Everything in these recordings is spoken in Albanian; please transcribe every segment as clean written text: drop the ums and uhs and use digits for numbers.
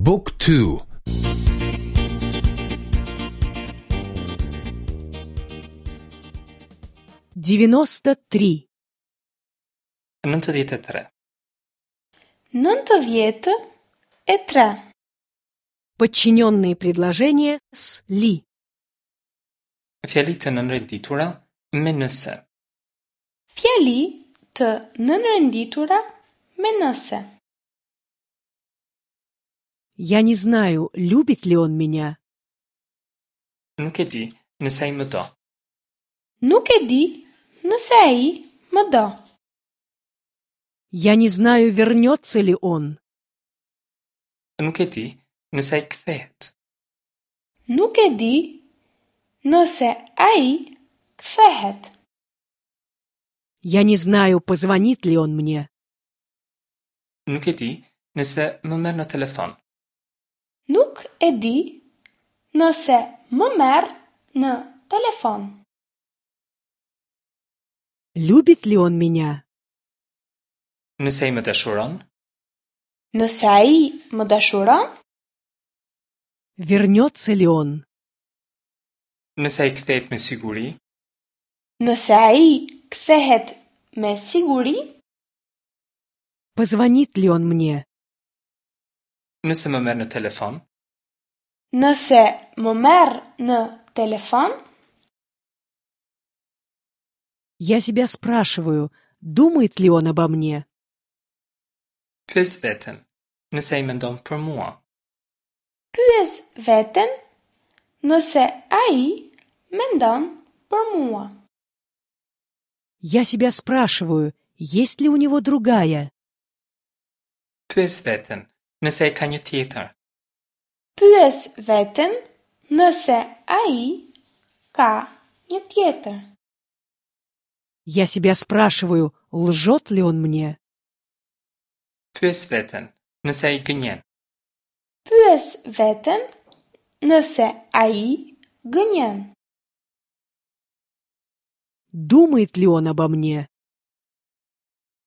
บุ๊กทู 93. 93. 93. Подчиненные предложения с «ли». Fjali të nënrenditura me nëse. Fjali të nënrenditura me nëse. Я не знаю, любит ли он меня. Nuk e di nëse ai më do. Nuk e di nëse ai më do. Я не знаю, вернется ли он. Nuk e di nëse ai kthehet. Nuk e di nëse ai kthehet. Я не знаю, позвонит ли он мне. Nuk e di nëse më merr në telefon. Nuk e di nëse më merr në telefon. Любит ли он меня? Nëse ai më dashuron, Nëse ai më dashuron, Вернется ли он? nëse ai kthehet me siguri, nëse ai kthehet me siguri, Позвонит ли он мне? nëse më merr në telefon, nëse më merr në telefon, Я себя спрашиваю, думает ли он обо мне. pyes veten, nëse ai mendon për mua. pyes veten nëse ai mendon për mua. Я себя спрашиваю, есть ли у него другая. Pyes veten, nëse ai ka një tjetër. Pyes veten nëse ai ka një tjetër. Я себя спрашиваю, лжет ли он мне. Pyes veten, nëse ai gënjen. Pyes veten nëse ai gënjen. Думает ли он обо мне?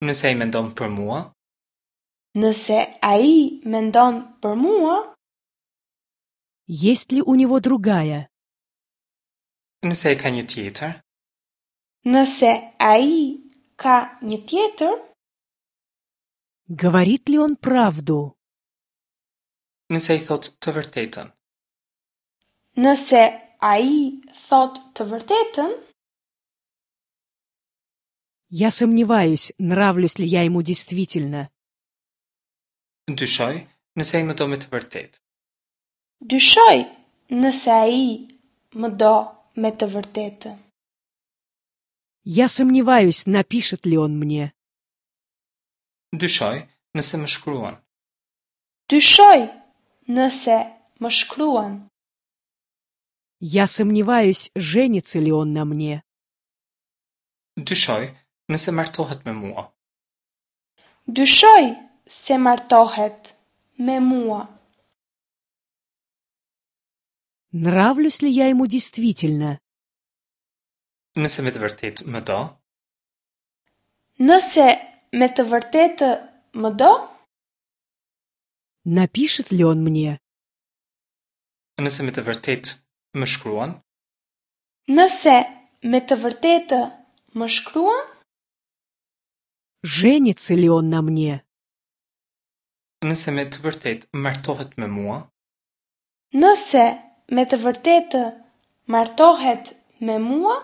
Nëse ai mendon për mua, Nëse ai mendon për mua, Есть ли у него другая? nëse ai ka një tjetër, nëse ai ka një tjetër, Говорит ли он правду? nëse ai thotë të vërtetën. nëse ai thot të vërtetën, Я сомневаюсь, нравлюсь ли я ему действительно. Dyshoj nëse ai më do me të vërtetë. dyshoj nëse ai më do me të vërtetë. Я сомневаюсь, напишет ли он мне. Dyshoj nëse më shkruan. Dyshoj nëse më shkruan. Я сомневаюсь, женится ли он на мне. Dyshoj nëse martohet me mua. Dyshoj se martohet me mua. Нравлюсь ли я ему действительно? Nëse me të vërtetë më do, Nëse me të vërtetë më do, Напишет ли он мне? nëse me të vërtetë më shkruan, nëse me të vërtetë më shkruan, Женится ли он на мне? nëse me të vërtetë martohet me mua, nëse me të vërtetë martohet me mua,